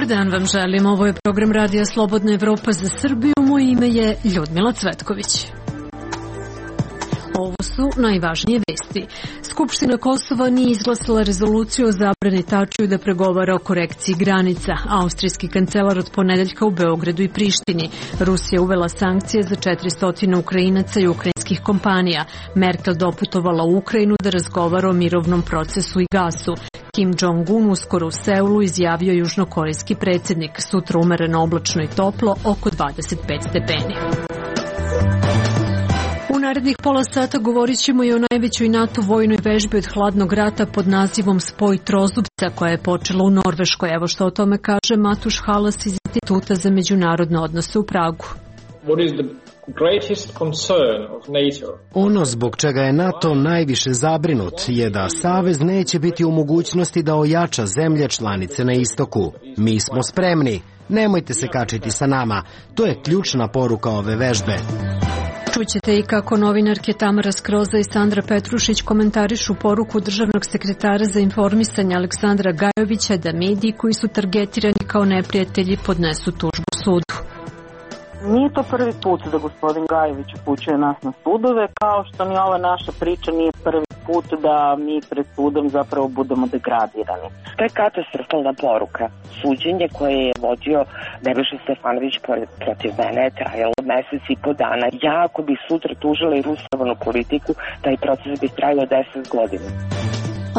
Dan vam želim, ovo je program Radija Slobodna Evropa za Srbiju, moje ime je Ljudmila Cvetković. Ovo su najvažnije vesti. Skupština Kosova nije izglasala rezoluciju o zabrani Tačiju da pregovara o korekciji granica. Austrijski kancelar od ponedeljka u Beogradu i Prištini. Rusija uvela sankcije za 400 Ukrajinaca i ukrajinskih kompanija. Merkel doputovala u Ukrajinu da razgovara o mirovnom procesu i gasu. Kim Jong-un uskoro u Seulu, izjavio južnokorejski predsjednik. Sutra umereno oblačno i toplo, oko 25 stepeni. U narednih pola sata govorit ćemo i o najvećoj NATO vojnoj vežbi od hladnog rata pod nazivom Spoj trozubca, koja je počela u Norveškoj. Evo što o tome kaže Matuš Halas iz Instituta za međunarodne odnose u Pragu. Ono zbog čega je NATO najviše zabrinut je da Savez neće biti u mogućnosti da ojača zemlje članice na istoku. Mi smo spremni. Nemojte se kačiti sa nama. To je ključna poruka ove vežbe. Čućete i kako novinarke Tamara Skroza i Sandra Petrušić komentarišu poruku državnog sekretara za informisanje Aleksandra Gajovića da mediji koji su targetirani kao neprijatelji podnesu tužbu sudu. Nije to prvi put da gospodin Gajević upućuje nas na sudove, kao što ni ova naša priča nije prvi put da mi pred sudom zapravo budemo degradirani. To je katastrofalna poruka. Suđenje koje je vodio Nebojša Stefanović protiv mene je trajalo mesec i po dana. Ja ako bi sutra tužila i rusovanu politiku, taj proces bi trajao 10 godina.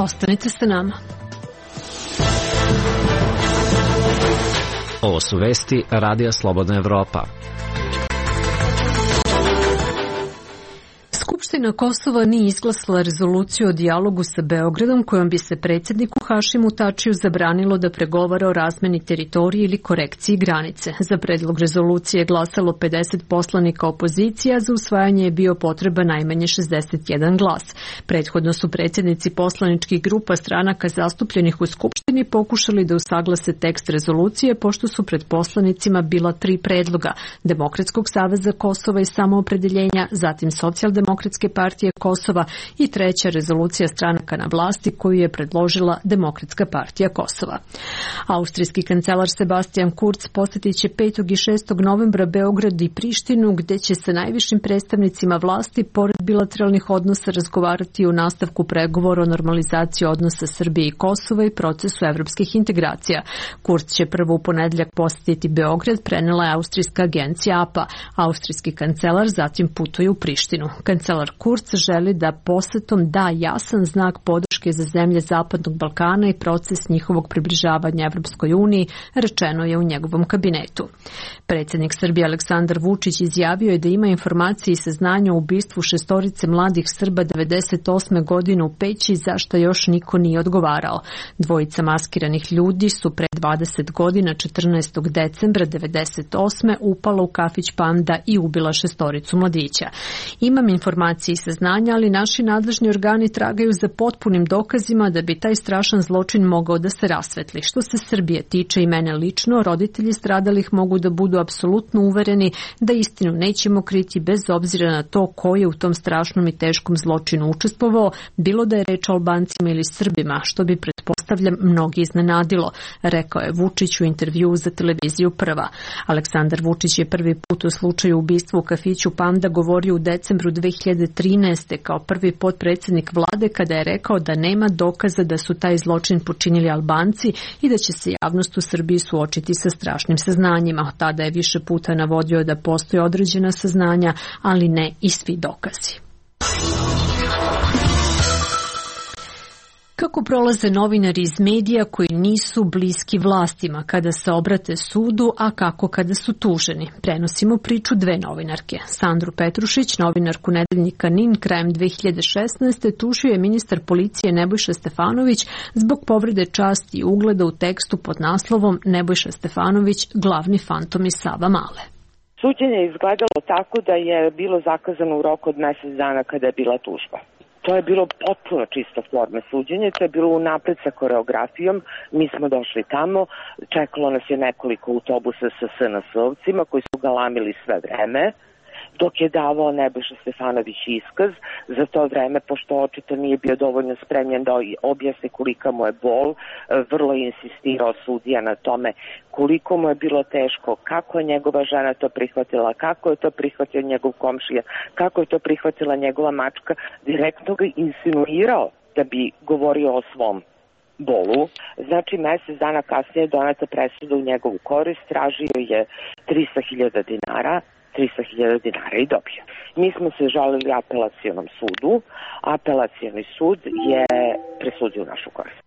Ostanite sa nama. Ovo su vesti Radija Slobodna Evropa. Skupština Kosova nije izglasala rezoluciju o dijalogu sa Beogradom kojom bi se predsjedniku Hašimu Tačiju zabranilo da pregovara o razmeni teritorije ili korekciji granice. Za predlog rezolucije je glasalo 50 poslanika opozicije, a za usvajanje je bio potreba najmanje 61 glas. Prethodno su predsjednici poslaničkih grupa stranaka zastupljenih u Skupštini pokušali da usaglase tekst rezolucije, pošto su pred poslanicima bila 3 predloga: Demokratskog saveza Kosova i samoopredeljenja, zatim Socijaldemokratske partije Kosova i 3. rezolucija stranaka na vlasti koju je predložila Demokratska partija Kosova. Austrijski kancelar Sebastian Kurz posjetit će 5. i 6. novembra Beograd i Prištinu, gdje će sa najvišim predstavnicima vlasti pored bilateralnih odnosa razgovarati o nastavku pregovora o normalizaciji odnosa Srbije i Kosova i procesu evropskih integracija. Kurz će prvo u ponedeljak posjetiti Beograd, prenela je austrijska agencija APA. Austrijski kancelar zatim putuje u Prištinu. Kancelar Kurz želi da posjetom da jasan znak podrške za zemlje Zapadnog Balkana i proces njihovog približavanja Evropskoj uniji, rečeno je u njegovom kabinetu. Predsjednik Srbije Aleksandar Vučić izjavio je da ima informacije i saznanja o ubistvu 6 mladih Srba 98. godine u Peći, za što još niko nije odgovarao. 2 maskiranih ljudi su pre 20 godina 14. decembra 98. upala u kafić Panda i ubila 6 mladića. Imam informacije i saznanja, ali naši nadležni organi tragaju za potpunim dokazima da bi taj strašan zločin mogao da se rasvetli. Što se Srbije tiče i mene lično, roditelji stradalih mogu da budu apsolutno uvereni da istinu nećemo kriti bez obzira na to ko je u tom strašnom i teškom zločinu učestvovao, bilo da je reč o Albancima ili Srbima, što bi pretpostavljam mnogi iznenadilo, rekao je Vučić u intervjuu za televiziju Prva. Aleksandar Vučić je prvi put u slučaju ubistva u kafiću Panda govorio u decembru 2013. kao prvi potpredsjednik vlade, kada je rekao da nema dokaza da su taj zločin počinili Albanci i da će se javnost u Srbiji suočiti sa strašnim saznanjima. Tada je više puta navodio da postoje određena saznanja, ali ne i svi dokazi. Kako prolaze novinari iz medija koji nisu bliski vlastima kada se obrate sudu, a kako kada su tuženi? Prenosimo priču 2 novinarke. Sandru Petrušić, novinarku nedeljnika NIN, krajem 2016. tužio je ministar policije Nebojša Stefanović zbog povrede časti i ugleda u tekstu pod naslovom Nebojša Stefanović, glavni fantom iz Savamale. Suđenje je izgledalo tako da je bilo zakazano u roku od mesec dana kada je bila tužba. To je bilo potpuno čisto forme suđenje, to je bilo unapred sa koreografijom, mi smo došli tamo, čekalo nas je nekoliko autobusa sa SNS-ovcima koji su galamili sve vreme, dok je davao Nebojša Stefanović iskaz. Za to vreme, pošto očito nije bio dovoljno spremljen da objasni kolika mu je bol, vrlo je insistirao sudija na tome koliko mu je bilo teško, kako je njegova žena to prihvatila, kako je to prihvatio njegov komšija, kako je to prihvatila njegova mačka, direktno ga insinuirao da bi govorio o svom bolu. Znači, mesec dana kasnije je doneta presuda u njegovu korist, tražio je 300.000 dinara, 300.000 dinara i dobio. Mi smo se žalili apelacionom sudu, apelacioni sud je presudio u našu korist.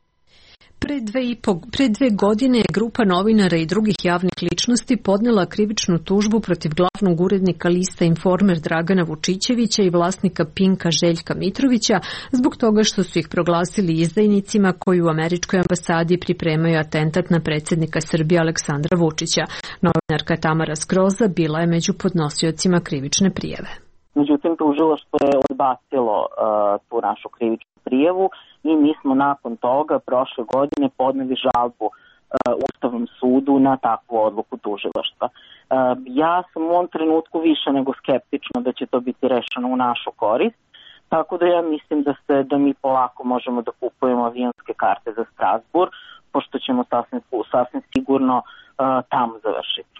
Pre 2 godine je grupa novinara i drugih javnih ličnosti podnela krivičnu tužbu protiv glavnog urednika lista Informer Dragana Vučićevića i vlasnika Pinka Željka Mitrovića zbog toga što su ih proglasili izdajnicima koji u američkoj ambasadi pripremaju atentat na predsjednika Srbije Aleksandra Vučića. Novinarka Tamara Skroza bila je među podnosiocima krivične prijave. Međutim, tužilaštvo je odbacilo tu našu krivičnu prijavu i mi smo nakon toga prošle godine podneli žalbu Ustavnom sudu na takvu odluku tužilaštva. Ja sam u ovom trenutku više nego skeptična da će to biti rešeno u našu korist, tako da ja mislim da mi polako možemo da kupujemo avionske karte za Strasbourg, pošto ćemo sasvim sigurno tamo završiti.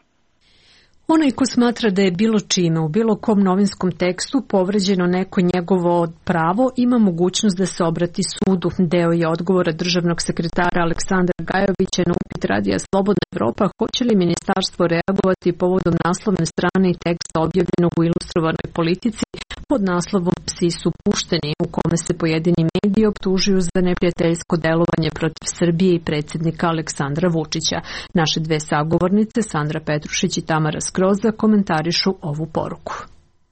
Onaj ko smatra da je bilo čime u bilo kom novinskom tekstu povređeno neko njegovo pravo ima mogućnost da se obrati sudu. Deo je odgovora državnog sekretara Aleksandra Gajovića na upit Radija Slobodna Evropa hoće li ministarstvo reagovati povodom naslovne strane i teksta objavljenog u Ilustrovanoj politici pod naslovom Psi su pušteni, u kome se pojedini mediji optužuju za neprijateljsko delovanje protiv Srbije i predsjednika Aleksandra Vučića. Naše dve sagovornice, Sandra Petrušić i Tamara Skroza, komentarišu ovu poruku.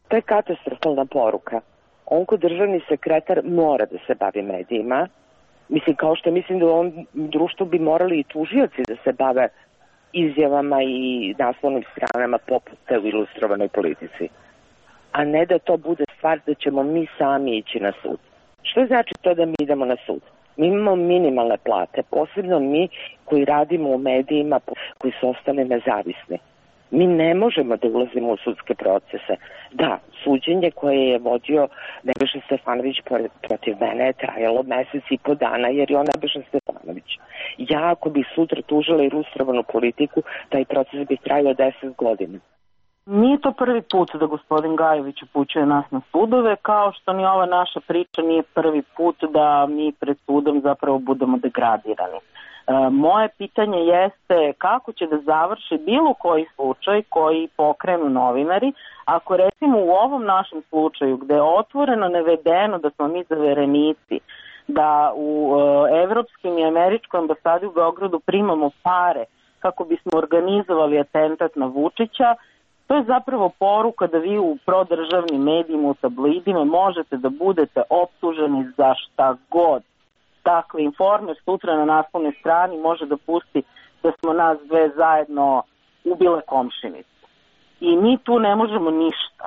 To je katastrofalna poruka. On ko državni sekretar mora da se bavi medijima. Mislim, kao što mislim da u ovom društvu bi morali i tužioci da se bave izjavama i naslovnim stranama poput te u Ilustrovanoj politici. A ne da to bude stvar da ćemo mi sami ići na sud. Što znači to da mi idemo na sud? Mi imamo minimalne plate, posebno mi koji radimo u medijima koji su ostali nezavisni. Mi ne možemo da ulazimo u sudske procese. Da, suđenje koje je vodio Nebojša Stefanović protiv mene je trajalo mesec i po dana, jer je on Nebojša Stefanović. Ja ako bih sutra tužila Ilustrovanu politiku, taj proces bi trajao 10 godina. Nije to prvi put da gospodin Gajović upućuje nas na sudove, kao što ni ova naša priča nije prvi put da mi pred sudom zapravo budemo degradirani. Moje pitanje jeste kako će da završi bilo koji slučaj koji pokrenu novinari, ako recimo u ovom našem slučaju gde je otvoreno navedeno da smo mi zaverenici, da u evropskim i američkoj ambasadi u Beogradu primamo pare kako bismo organizovali atentat na Vučića, to je zapravo poruka da vi u prodržavnim medijima, u tabloidima možete da budete optuženi za šta god. Dakle, Informer sutra na naslovnoj strani može da pusti da smo nas dve zajedno ubile komšinicu. I mi tu ne možemo ništa.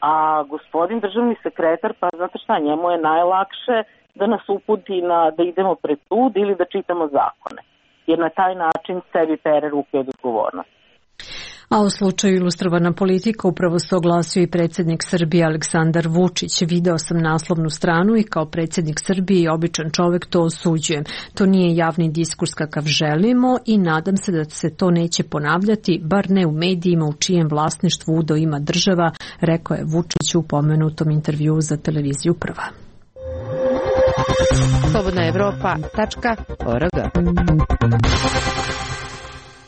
A gospodin državni sekretar, pa znate šta, njemu je najlakše da nas uputi da idemo pred sud ili da čitamo zakone. Jer na taj način sebi pere ruke od odgovornosti. A u slučaju Ilustrovana politika upravo se oglasio i predsjednik Srbije Aleksandar Vučić. Video sam naslovnu stranu i kao predsjednik Srbije i običan čovjek to osuđujem. To nije javni diskurs kakav želimo i nadam se da se to neće ponavljati, bar ne u medijima u čijem vlasništvu udeo ima država, rekao je Vučić u pomenutom intervjuu za televiziju Prva. slobodnaevropa.org.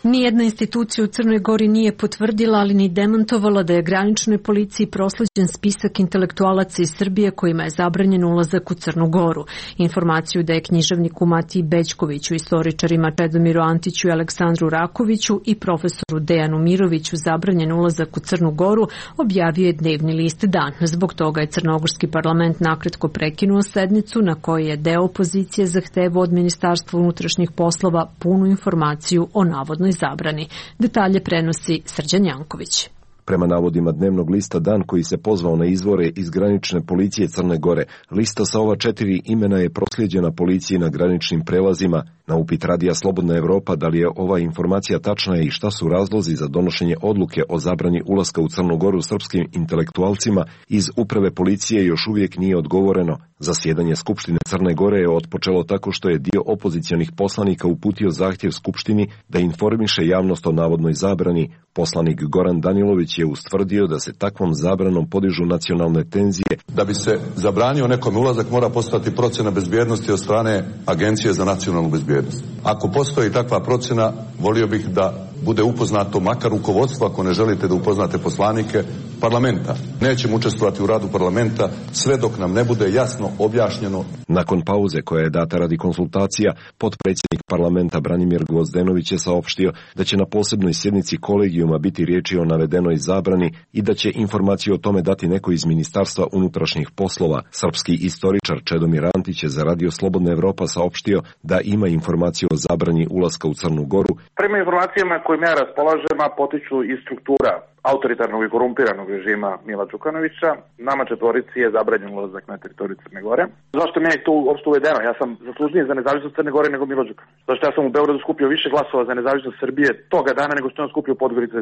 Nijedna institucija u Crnoj Gori nije potvrdila, ali ni demantovala da je graničnoj policiji prosleđen spisak intelektualaca iz Srbije kojima je zabranjen ulazak u Crnu Goru. Informaciju da je književniku Matiji Bećkoviću, istoričarima Čedomiru Antiću i Aleksandru Rakoviću i profesoru Dejanu Miroviću zabranjen ulazak u Crnu Goru objavio je dnevni list Dan. Zbog toga je crnogorski parlament nakratko prekinuo sednicu na kojoj je deo opozicije zahtevao od Ministarstva unutrašnjih poslova punu informaciju o navodnoj zabrani. Detalje prenosi Srđan Janković. Prema navodima dnevnog lista Dan, koji se pozvao na izvore iz granične policije Crne Gore, lista sa ova 4 imena je proslijeđena policiji na graničnim prelazima. Na upit Radija Slobodna Evropa da li je ova informacija tačna i šta su razlozi za donošenje odluke o zabrani ulaska u Crnu Goru srpskim intelektualcima, iz uprave policije još uvijek nije odgovoreno. Zasjedanje Skupštine Crne Gore je otpočelo tako što je dio opozicionih poslanika uputio zahtjev Skupštini da informiše javnost o navodnoj zabrani. Poslanik Goran Danilović je ustvrdio da se takvom zabranom podižu nacionalne tenzije. Da bi se zabranio nekom ulazak mora postojati procjena bezbjednosti od strane Agencije za nacionalnu bezbjednost. Ako postoji takva procjena, volio bih da bude upoznato makar rukovodstvo, ako ne želite da upoznate poslanike, parlamenta. Nećemo učestvovati u radu parlamenta sve dok nam ne bude jasno objašnjeno. Nakon pauze koja je data radi konsultacija, potpredsjednik parlamenta Branimir Gvozdenović je saopštio da će na posebnoj sjednici kolegijuma biti riječi o navedenoj zabrani i da će informaciju o tome dati neko iz Ministarstva unutrašnjih poslova. Srpski istoričar Čedomir Antić je za Radio Slobodna Evropa saopštio da ima informaciju o zabrani ulaska u Crnu Goru. Prema informacijama kojim ja raspolažem, potiču iz struktura autoritarnog i korumpiranog režima Mila Đukanovića. Nama 4 je zabranjen ulazak na teritoriju Crne Gore. Zašto mi je to uopšte uvedeno? Ja sam zaslužniji za nezavisnost Crne Gore nego Milo Đukanović. Zašto ja sam u Beogradu skupio više glasova za nezavisnost Srbije toga dana nego što on skupio u Podgorici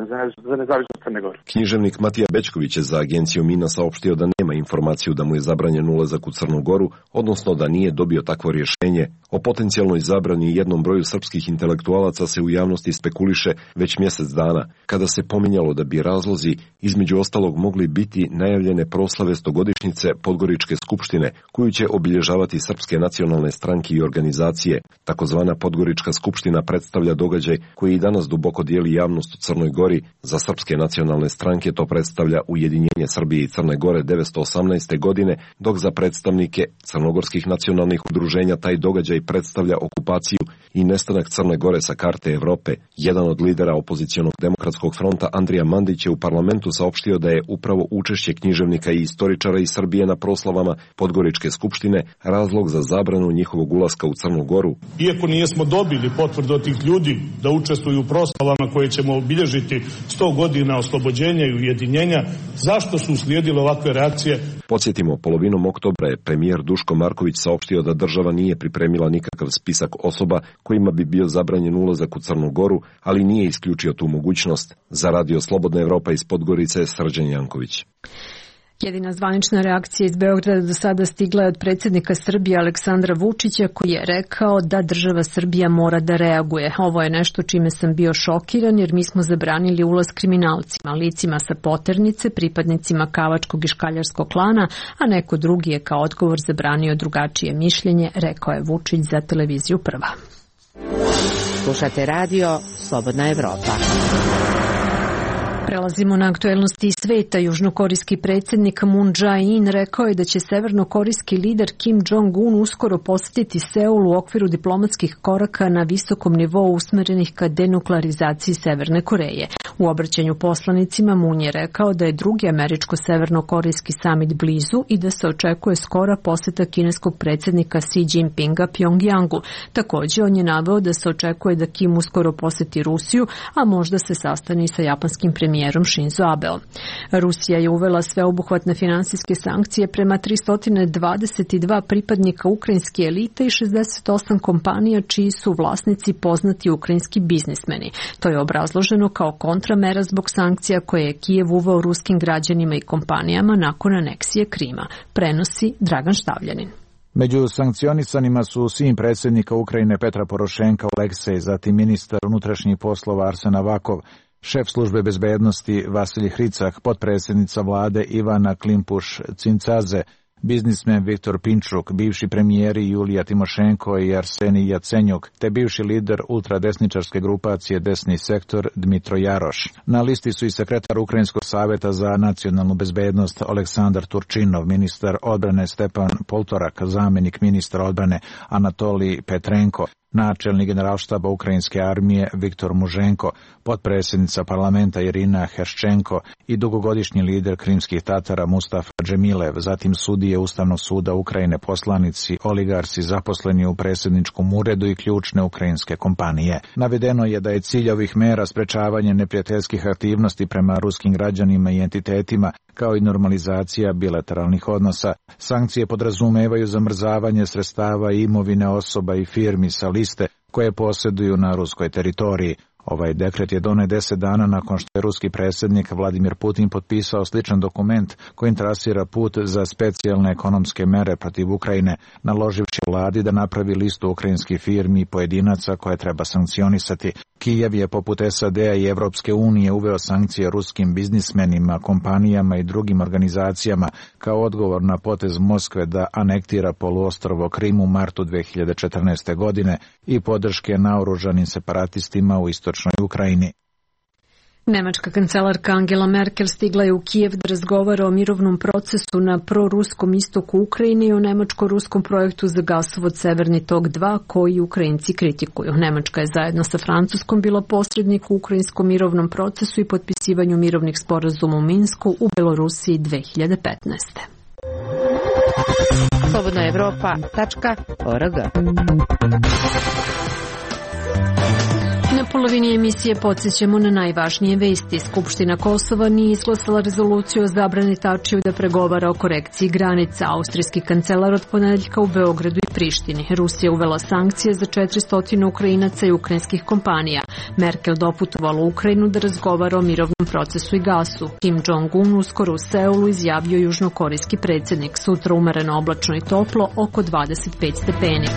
za nezavisnost Crne Gore. Književnik Matija Bećković je za agenciju Mina saopštio da nema informaciju da mu je zabranjen ulazak u Crnu Goru, odnosno da nije dobio takvo rješenje. O potencijalnoj zabrani i jednom broju srpskih intelektualaca se u javnosti spekuliše već mjesec dana, kada se pominjalo da bi razlozi između ostalog mogli biti najavljene proslave 100-godišnjice Podgoričke skupštine, koju će obilježavati srpske nacionalne stranke i organizacije. Takozvana Podgorička skupština predstavlja događaj koji i danas duboko dijeli javnost u Crnoj Gori. Za srpske nacionalne stranke to predstavlja ujedinjenje Srbije i Crne Gore 1918. godine, dok za predstavnike crnogorskih nacionalnih udruženja taj događaj predstavlja okupaciju i nestanak Crne Gore sa karte Evrope. Jedan od lidera opozicionog demokratskog fronta, Andrija Mandić, je u parlamentu saopštio da je upravo učešće književnika i istoričara iz Srbije na proslavama Podgoričke skupštine razlog za zabranu njihovog ulaska u Crnu Goru. Iako nijesmo dobili potvrdu od tih ljudi da učestvuju u proslavama koje ćemo obilježiti 100 godina oslobođenja i ujedinjenja, zašto su uslijedile ovakve reakcije? Podsjetimo, polovinom oktobra je premijer Duško Marković saopštio da država nije pripremila nikakav spisak osoba kojima bi bio zabranjen ulazak u Crnu Goru, ali nije isključio tu mogućnost. Za Radio Slobodna Evropa iz Podgorice, Srđan Janković. Jedina zvanična reakcija iz Beograda do sada stigla je od predsjednika Srbije Aleksandra Vučića, koji je rekao da država Srbija mora da reaguje. Ovo je nešto čime sam bio šokiran, jer mi smo zabranili ulaz kriminalcima, licima sa poternice, pripadnicima Kavačkog i Škaljarskog klana, a neko drugi je kao odgovor zabranio drugačije mišljenje, rekao je Vučić za televiziju Prva. Slušate radio Slobodna Evropa. Prelazimo na aktuelnosti iz sveta. Južnokorejski predsjednik Moon Jae-in rekao je da će severnokorejski lider Kim Jong-un uskoro posjetiti Seul u okviru diplomatskih koraka na visokom nivou usmjerenih ka denuklearizaciji Severne Koreje. U obraćanju poslanicima Moon je rekao da je drugi američko-severnokorejski samit blizu i da se očekuje skora posjeta kineskog predsjednika Xi Jinpinga Pjongjangu. Također on je naveo da se očekuje da Kim uskoro posjeti Rusiju, a možda se sastani sa japanskim premijerom Shinzo Abeom. Rusija je uvela sveobuhvatne finansijske sankcije prema 322 pripadnika ukrajinske elite i 68 kompanija čiji su vlasnici poznati ukrajinski biznismeni. To je obrazloženo kao kontramera zbog sankcija koje je Kijev uveo ruskim građanima i kompanijama nakon aneksije Krima. Prenosi Dragan Štavljanin. Među sankcionisanima su sin predsjednika Ukrajine Petra Porošenka Oleksej, zatim ministar unutrašnjih poslova Arsen Avakov, šef službe bezbednosti Vasilij Hricak, potpredsjednica vlade Ivana Klimpuš-Cincaze, biznismen Viktor Pinčuk, bivši premijeri Julija Timošenko i Arsenij Jacenjuk, te bivši lider ultradesničarske grupacije Desni sektor Dmitro Jaroš. Na listi su i sekretar Ukrajinskog savjeta za nacionalnu bezbednost Aleksandar Turčinov, ministar odbrane Stepan Poltorak, zamjenik ministra odbrane Anatolij Petrenko, načelnik generalštaba Ukrajinske armije Viktor Muženko, potpredsjednica parlamenta Irina Herščenko i dugogodišnji lider krimskih Tatara Mustafa Džemilev, zatim sudije Ustavnog suda Ukrajine, poslanici, oligarsi, zaposleni u predsjedničkom uredu i ključne ukrajinske kompanije. Navedeno je da je cilj ovih mera sprečavanje neprijateljskih aktivnosti prema ruskim građanima i entitetima, kao i normalizacija bilateralnih odnosa. Sankcije podrazumevaju zamrzavanje sredstava i imovine osoba i firmi sa liste koje posjeduju na ruskoj teritoriji. Ovaj dekret je donet 10 dana nakon što je ruski predsjednik Vladimir Putin potpisao sličan dokument kojim trasira put za specijalne ekonomske mere protiv Ukrajine, naloživši vladi da napravi listu ukrajinskih firmi i pojedinaca koje treba sankcionisati. Kijev je poput SAD-a i Evropske unije uveo sankcije ruskim biznismenima, kompanijama i drugim organizacijama kao odgovor na potez Moskve da anektira poluostrvo Krim u martu 2014. godine i podrške naoružanim separatistima u istočnoj Ukrajini. Nemačka kancelarka Angela Merkel stigla je u Kijev da razgovara o mirovnom procesu na proruskom istoku Ukrajine i o nemačko-ruskom projektu za gasovod Severni tok 2 koji Ukrajinci kritikuju. Nemačka je zajedno sa Francuskom bila posrednik u ukrajinskom mirovnom procesu i potpisivanju mirovnih sporazuma u Minsku u Belorusiji 2015. slobodnaevropa.org. Na polovini emisije podsjećamo na najvažnije vesti. Skupština Kosova nije izglasala rezoluciju o zabrani Tačiju da pregovara o korekciji granica. Austrijski kancelar od ponedeljka u Beogradu i Prištini. Rusija uvela sankcije za 400 Ukrajinaca i ukrajinskih kompanija. Merkel doputovala u Ukrajinu da razgovara o mirovnom procesu i gasu. Kim Jong-un uskoro u Seulu izjavio južnokorejski predsjednik. Sutra umereno oblačno i toplo, oko 25 stepeni.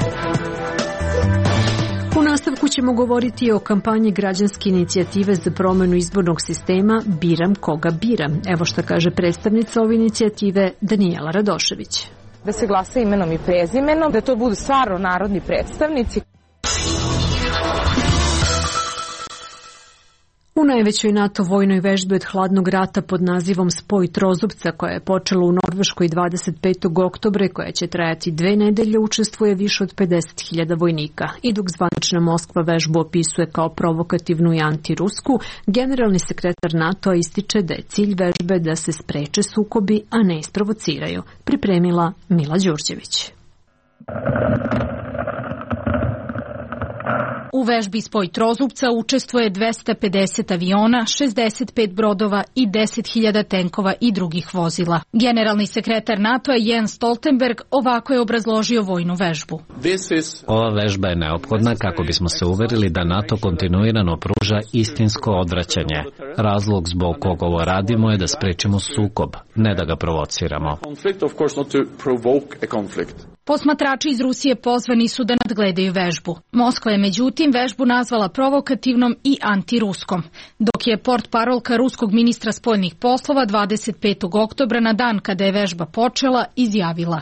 U nastavku ćemo govoriti o kampanji građanske inicijative za promjenu izbornog sistema Biram koga biram. Evo što kaže predstavnica ove inicijative Danijela Radošević. Da se glasa imenom i prezimenom, da to budu stvarno narodni predstavnici. U najvećoj NATO vojnoj vežbi od hladnog rata pod nazivom Spoj Trozubca, koja je počela u Norveškoj 25. oktobra i koja će trajati 2 nedelje, učestvuje više od 50.000 vojnika. I dok zvanična Moskva vežbu opisuje kao provokativnu i antirusku, generalni sekretar NATO ističe da je cilj vežbe da se spreče sukobi, a ne isprovociraju. Pripremila Mila Đurđević. U vežbi Spoj Trozubca učestvuje 250 aviona, 65 brodova i 10.000 tenkova i drugih vozila. Generalni sekretar NATO-a Jens Stoltenberg ovako je obrazložio vojnu vežbu. Ova vežba je neophodna kako bismo se uverili da NATO kontinuirano pruža istinsko odvraćanje. Razlog zbog kog ovo radimo je da sprečimo sukob, ne da ga provociramo. Posmatrači iz Rusije pozvani su da nadgledaju vežbu. Moskva je međutim vežbu nazvala provokativnom i antiruskom, dok je portparolka ruskog ministra spoljnih poslova 25. oktobra na dan kada je vežba počela izjavila: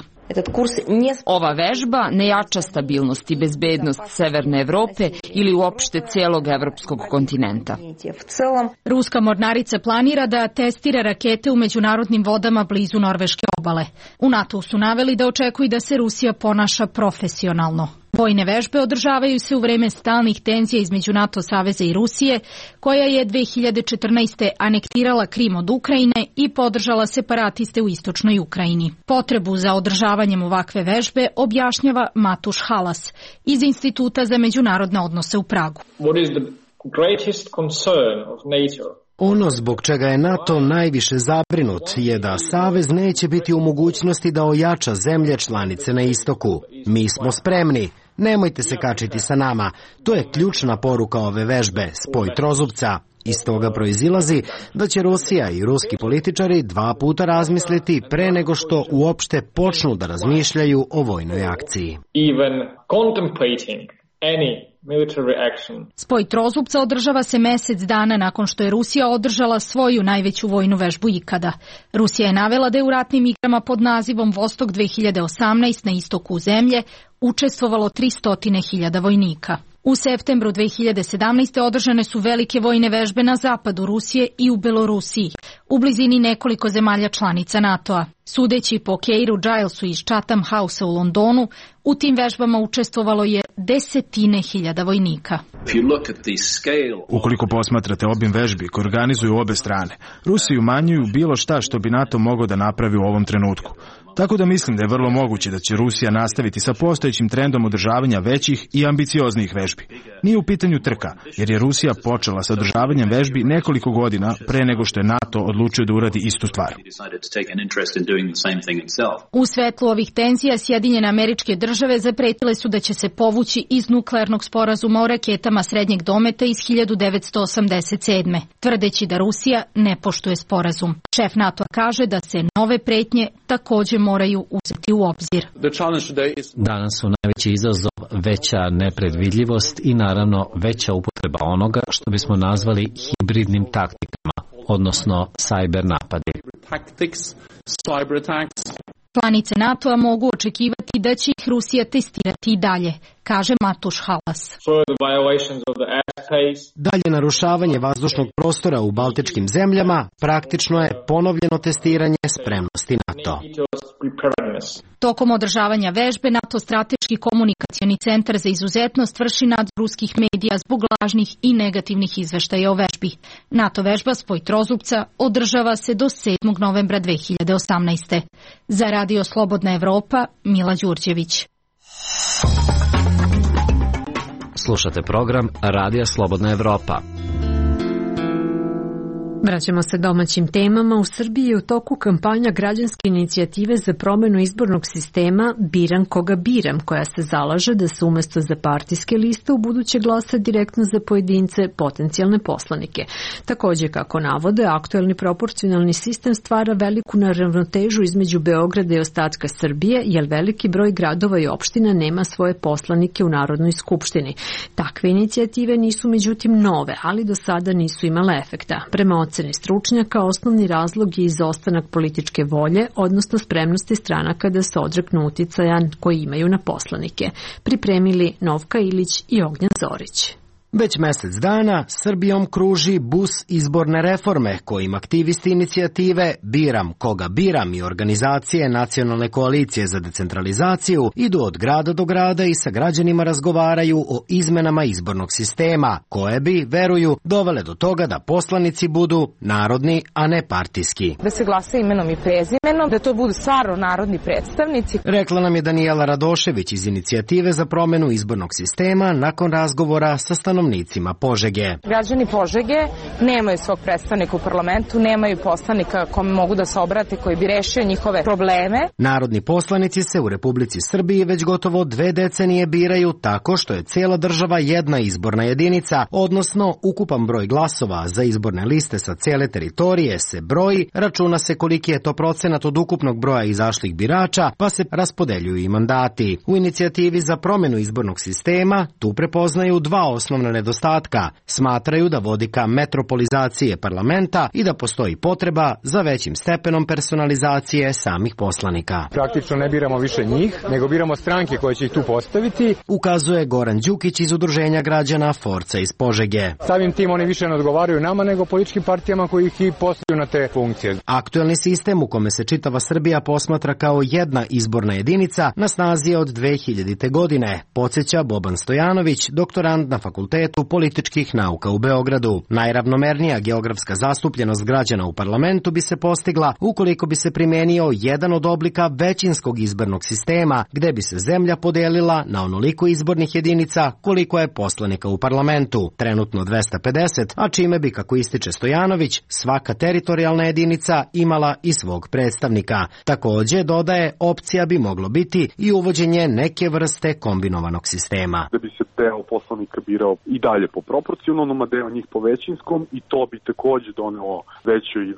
Ova vežba ne jača stabilnost i bezbednost Severne Evrope ili uopšte cijelog evropskog kontinenta. Ruska mornarica planira da testira rakete u međunarodnim vodama blizu norveške obale. U NATO su naveli da očekuju da se Rusija ponaša profesionalno. Vojne vežbe održavaju se u vreme stalnih tenzija između NATO saveza i Rusije, koja je 2014. anektirala Krim od Ukrajine i podržala separatiste u istočnoj Ukrajini. Potrebu za održavanjem ovakve vežbe objašnjava Matuš Halas iz Instituta za međunarodne odnose u Pragu. Ono zbog čega je NATO najviše zabrinut je da Savez neće biti u mogućnosti da ojača zemlje članice na istoku. Mi smo spremni. Nemojte se kačiti sa nama. To je ključna poruka ove vežbe, Spoj Trozubca. Iz toga proizilazi da će Rusija i ruski političari 2 puta razmisliti pre nego što uopšte počnu da razmišljaju o vojnoj akciji. Spoj Trozubca održava se mjesec dana nakon što je Rusija održala svoju najveću vojnu vežbu ikada. Rusija je navela da je u ratnim igrama pod nazivom Vostok 2018 na istoku zemlje učestvovalo 300.000 vojnika. U septembru 2017. održane su velike vojne vežbe na zapadu Rusije i u Belorusiji, u blizini nekoliko zemalja članica NATO-a. Sudeći po Keiru Gilesu iz Chatham House u Londonu, u tim vežbama učestvovalo je 10.000 vojnika. Ukoliko posmatrate obim vežbi koje organizuju obe strane, Rusi umanjuju bilo šta što bi NATO mogao da napravi u ovom trenutku. Tako da mislim da je vrlo moguće da će Rusija nastaviti sa postojećim trendom održavanja većih i ambicioznijih vežbi. Nije u pitanju trka, jer je Rusija počela sa održavanjem vežbi nekoliko godina pre nego što je NATO odlučio da uradi istu stvar. U svetlu ovih tenzija Sjedinjene Američke Države zapretile su da će se povući iz nuklearnog sporazuma o raketama srednjeg dometa iz 1987. tvrdeći da Rusija ne poštuje sporazum. Šef NATO kaže da se nove pretnje takođe moraju uzeti u obzir. Danas su najveći izazov veća nepredvidljivost i naravno veća upotreba onoga što bismo nazvali hibridnim taktikama, odnosno cyber napadi. Članice NATO-a mogu očekivati da će ih Rusija testirati i dalje, kaže Matuš Halas. Dalje narušavanje vazdušnog prostora u baltičkim zemljama praktično je ponovljeno testiranje spremnosti NATO. Tokom održavanja vežbe NATO strateški komunikacioni centar za izuzetnost vrši nadzor ruskih medija zbog lažnih i negativnih izveštaja o vežbi. NATO vežba Spoj trozubca održava se do 7. novembra 2018. Za Radio Slobodna Evropa, Mila Đurđević. Slušate program Radija Slobodna Evropa. Vraćamo se domaćim temama. U Srbiji je u toku kampanja građanske inicijative za promenu izbornog sistema Biram koga biram, koja se zalaže da se umesto za partijske liste u buduće glasa direktno za pojedince, potencijalne poslanike. Takođe, kako navode, aktuelni proporcionalni sistem stvara veliku neravnotežu između Beograda i ostatka Srbije, jer veliki broj gradova i opština nema svoje poslanike u Narodnoj skupštini. Takve inicijative nisu međutim nove, ali do sada nisu imale efekta. Prema oceni stručnjaka, osnovni razlog je izostanak političke volje, odnosno spremnosti stranaka da se odreknu uticaja koji imaju na poslanike. Pripremili Novka Ilić i Ognjan Zorić. Već mesec dana Srbijom kruži bus izborne reforme kojim aktivisti inicijative Biram koga biram i organizacije Nacionalne koalicije za decentralizaciju idu od grada do grada i sa građanima razgovaraju o izmenama izbornog sistema, koje bi, veruju, dovele do toga da poslanici budu narodni, a ne partijski. Da se glasa imenom i prezimenom, da to budu stvarno narodni predstavnici. Rekla nam je Danijela Radošević iz inicijative za promenu izbornog sistema nakon razgovora sa stanovnicima Požege. Građani Požege nemaju svog predstavnika u parlamentu, nemaju poslanika kome mogu da se obrate koji bi rešio njihove probleme. Narodni poslanici se u Republici Srbiji već gotovo 2 decenije biraju tako što je cijela država jedna izborna jedinica, odnosno ukupan broj glasova za izborne liste sa cijele teritorije se broji, računa se koliki je to procenat od ukupnog broja izašlih birača, pa se raspodeljuju i mandati. U inicijativi za promenu izbornog sistema tu prepoznaju 2 osnovna nedostatka. Smatraju da vodi ka metropolizacije parlamenta i da postoji potreba za većim stepenom personalizacije samih poslanika. Praktično ne biramo više njih, nego biramo stranke koje će ih tu postaviti. Ukazuje Goran Đukić iz Udruženja građana Forca iz Požege. Samim tim oni više ne odgovaraju nama nego političkim partijama koji ih i postavljaju na te funkcije. Aktuelni sistem u kome se čitava Srbija posmatra kao jedna izborna jedinica na snazi je od 2000. godine, podsjeća Boban Stojanović, doktorant na Fakultetu političkih nauka u Beogradu. Najravnomernija geografska zastupljenost građana u parlamentu bi se postigla ukoliko bi se primenio jedan od oblika većinskog izbornog sistema, gde bi se zemlja podelila na onoliko izbornih jedinica koliko je poslanika u parlamentu, trenutno 250, a čime bi, kako ističe Stojanović, svaka teritorijalna jedinica imala i svog predstavnika. Takođe, dodaje, opcija bi moglo biti i uvođenje neke vrste kombinovanog sistema. Da bi se deo poslanika birao i dalje po proporcionalnom, a deo njih po većinskom, i to bi takođe donelo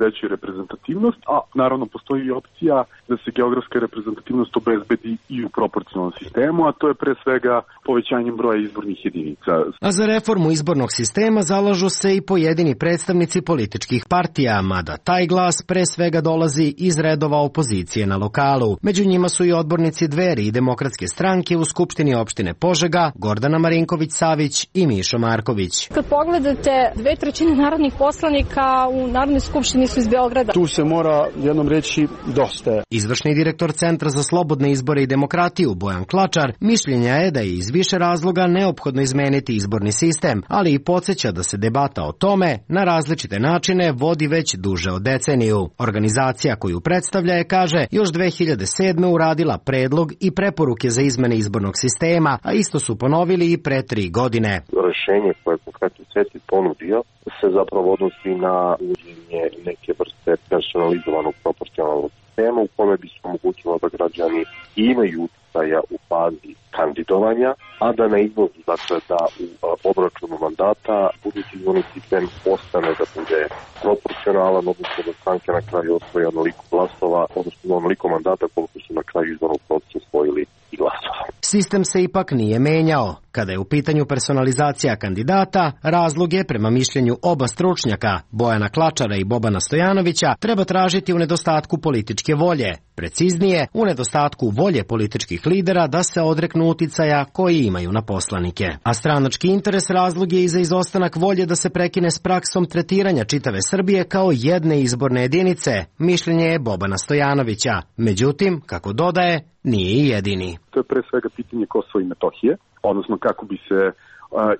veću reprezentativnost, a naravno postoji i opcija da se geografska reprezentativnost obezbedi i u proporcionalnom sistemu, a to je pre svega povećanjem broja izbornih jedinica. A za reformu izbornog sistema zalažu se i pojedini predstavnici političkih partija, mada taj glas pre svega dolazi iz redova opozicije na lokalu. Među njima su i odbornici Dveri i Demokratske stranke u Skupštini opštine Požega, Gordana Marinković-Savić i Mišo Marković. Kad pogledate, 2/3 narodnih poslanika u Narodnoj skupštini su iz Beograda. Tu se mora jednom reći dosta. Izvršni direktor Centra za slobodne izbore i demokratiju Bojan Klačar mišljenja je da je iz više razloga neophodno izmeniti izborni sistem, ali i podsjeća da se debata o tome na različite načine vodi već duže od deceniju. Organizacija koju predstavlja je, kaže, još 2007. uradila predlog i preporuke za izmene izbornog sistema, a isto su ponovili i pre 3 godine. Rešenje koje je konkretno CETI ponudio se zapravo odnosi na uvođenje neke vrste personalizovanog proporcionalnog sistema u kome bi se omogućilo da građani imaju uticaja u fazi kandidovanja, a da ne izlazi, dakle, da u obračunu mandata budući izborni sistem ostane da bude proporcionalan, odnosno da stranke na kraju osvoje onoliko glasova, odnosno onoliko mandata koliko su na kraju izbornog procesa osvojili i glasova. Sistem se ipak nije menjao. Kada je u pitanju personalizacija kandidata, razlog je, prema mišljenju oba stručnjaka, Bojana Klačara i Bobana Stojanovića, treba tražiti u nedostatku političke volje. Preciznije, u nedostatku volje političkih lidera da se odreknu uticaja koji imaju na poslanike. A stranački interes razlog je i za izostanak volje da se prekine s praksom tretiranja čitave Srbije kao jedne izborne jedinice, mišljenje je Bobana Stojanovića. Međutim, kako dodaje, nije i jedini. To je pre svega pitanje Kosova i Metohije, odnosno kako bi se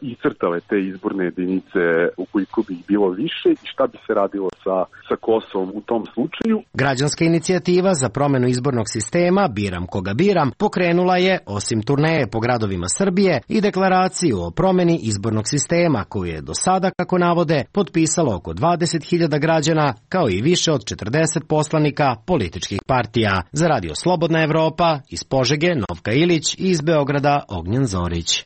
iscrtale te izborne jedinice ukoliko bi ih bilo više i šta bi se radilo sa Kosovom u tom slučaju. Građanska inicijativa za promenu izbornog sistema Biram koga biram pokrenula je, osim turneje po gradovima Srbije, i deklaraciju o promeni izbornog sistema koju je do sada, kako navode, potpisalo oko 20.000 građana, kao i više od 40 poslanika političkih partija. Za Radio Slobodna Evropa, iz Požege Novka Ilić i iz Beograda Ognjen Zorić.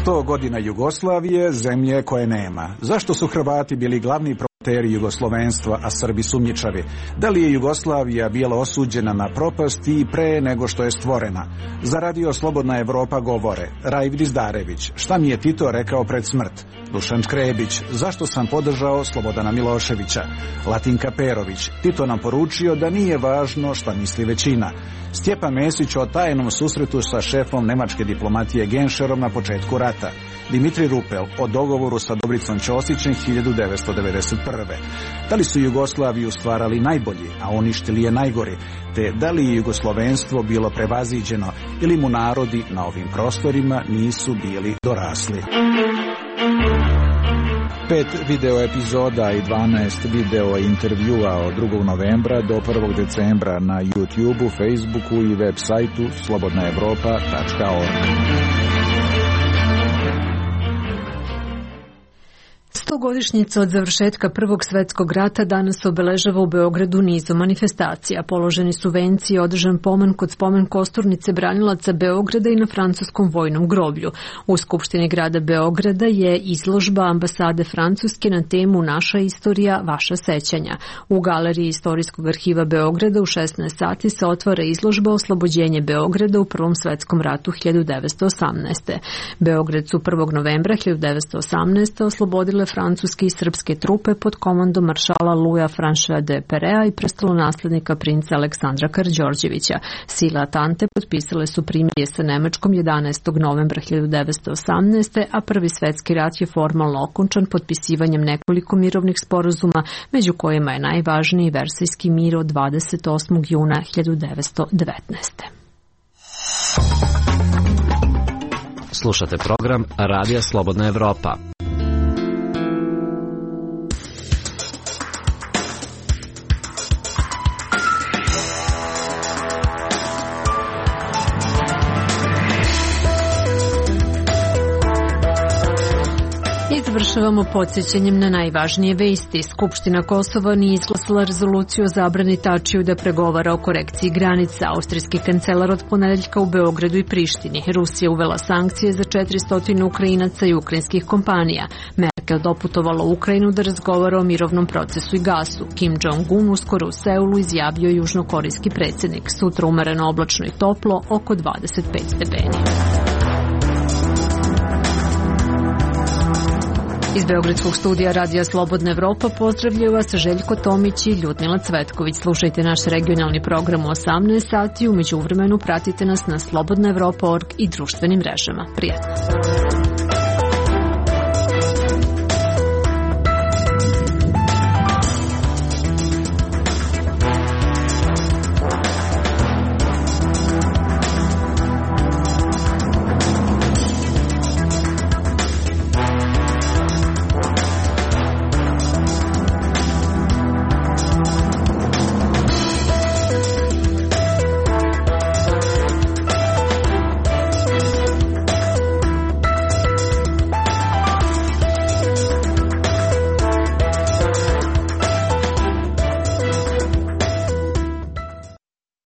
100 godina Jugoslavije, zemlje koje nema. Zašto su Hrvati bili glavni promoteri jugoslovenstva, a Srbi sumnjičavi? Da li je Jugoslavija bila osuđena na propast i pre nego što je stvorena? Za Radio Slobodna Evropa govore Rajvid Izdarević, šta mi je Tito rekao pred smrt? Dušan Škrebić, zašto sam podržao Slobodana Miloševića? Latinka Perović, Tito nam poručio da nije važno šta misli većina. Stjepan Mesić o tajnom susretu sa šefom nemačke diplomatije Genšerom na početku rata. Dimitri Rupel o dogovoru sa Dobricom Ćosićem 1991. Da li su Jugoslaviju stvarali najbolji, a uništili je najgori, te da li je jugoslovenstvo bilo prevaziđeno ili mu narodi na ovim prostorima nisu bili dorasli. 5 video epizoda i 12 video intervjua od 2. novembra do 1. decembra na YouTubeu, Facebooku i web sajtu slobodnaevropa.org. 100-godišnjica od završetka Prvog svetskog rata danas obeležava u Beogradu nizom manifestacija. Položeni su venci i održan pomen kod spomen kosturnice branilaca Beograda i na francuskom vojnom groblju. U Skupštini grada Beograda je izložba ambasade Francuske na temu Naša istorija, vaša sećanja. U galeriji Istorijskog arhiva Beograda u 16 sati se otvara izložba Oslobođenje Beograda u Prvom svetskom ratu 1918. Beograd su 1. novembra 1918. oslobodile francuske i srpske trupe pod komandom maršala Louisa François de Perea i prestolonaslednika princa Aleksandra Karađorđevića. Sile Atante potpisale su primirje sa Nemačkom 11. novembra 1918. a Prvi svetski rat je formalno okončan potpisivanjem nekoliko mirovnih sporazuma, među kojima je najvažniji Versajski mir od 28. juna 1919. Slušate program Radija Slobodna Evropa. Završavamo podsjećanjem na najvažnije vesti. Skupština Kosova nije izglasala izglasala rezoluciju o zabrani Tačiju da pregovara o korekciji granica. Austrijski kancelar od ponedeljka u Beogradu i Prištini. Rusija uvela sankcije za 400 Ukrajinaca i ukrajinskih kompanija. Merkel doputovala u Ukrajinu da razgovara o mirovnom procesu i gasu. Kim Jong-un uskoro u Seulu izjavio južnokorejski predsjednik. Sutra umereno oblačno i toplo, oko 25 stepeni. Iz Beogradskog studija Radija Slobodna Evropa pozdravljaju vas Željko Tomić i Ljudmila Cvetković. Slušajte naš regionalni program u 18 sati. U međuvremenu pratite nas na slobodnaevropa.org i društvenim mrežama. Prijatno!